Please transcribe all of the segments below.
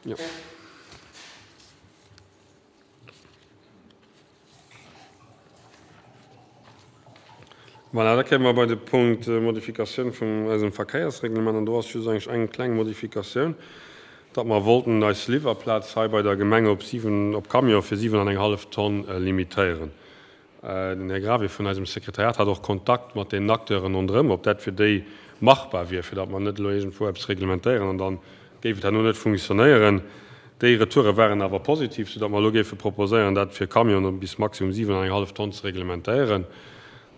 Jo. Voilà, da kéime mer bei de Punkt Modifikatioun vun eisem Verkéiersreglement. An do ass just eigentlech eng kleng Modifikatioun, datt mer wollten eis Liwwerplaz hei bei der Gemeng op 7, op Camion fir 7 an eng hallef Tonn limitéieren. Den Här Gravé vun eisem Sekretariat hat och Kontakt mat deenen Acteuren ronderëm, ob dat fir déi machbar wier, fir datt mer net elo iergendwou eppes reglementéieren an da géif et herno net funktionéieren. Déi Retoure waren awer positiv, soudatt mer elo géife proposéieren, dat fir Camionen bis maximum 7 an eng hallef Tonn ze reglementéieren.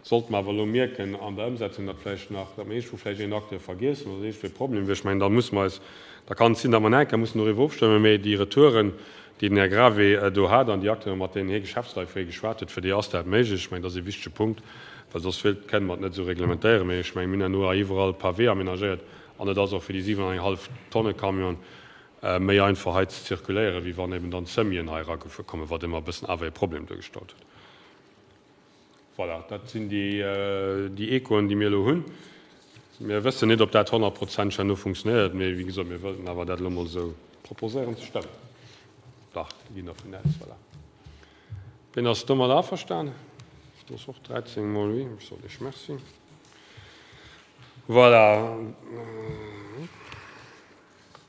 Sollte mer awer elo mierken an der Ëmsetzung, datt vläicht nach, datt mer iergendwou vläicht een Acteur vergiessen oder iergendwou e Problem wier, ech mengen, da musse mer eis, da kann et sinn, datt mer nach eng Kéier mussen doriwwer ofstëmmen, mee déi Retouren, déi den Här Gravé do hat an déi Acteuren, mat deenen hie Geschäftsleit fréi geschwat huet, fir déi ass dat méiglech. Ech mengen, dat ass e wichtege Punkt, well soss wéilt, kënne mer et net esou reglementéieren. Mee ech mengen, mir hunn herno hei iwwerall Pavé aménagéiert an et ass och fir déi 7 an eng hallef Tonne Camion méi einfach hei ze zirkuléieren, wéi wann eben dann d'Semien hei eragefuer kommen, wat ëmmer e bëssen awer e Problem duergestallt huet. Voilà, dat sinn déi Echoen, déi mir elo hunn. Mir wëssen net, ob dat honnertprozenteg herno funktionéiert, mee wéi gesot, mir wëllten awer dat elo emol esou proposéieren ze stëmmen. Dach, déi ginn dervun aus, voilà. Wien ass domat averstan? Dat ass och 13 mol oui. Ech soen Iech Merci. Voilà.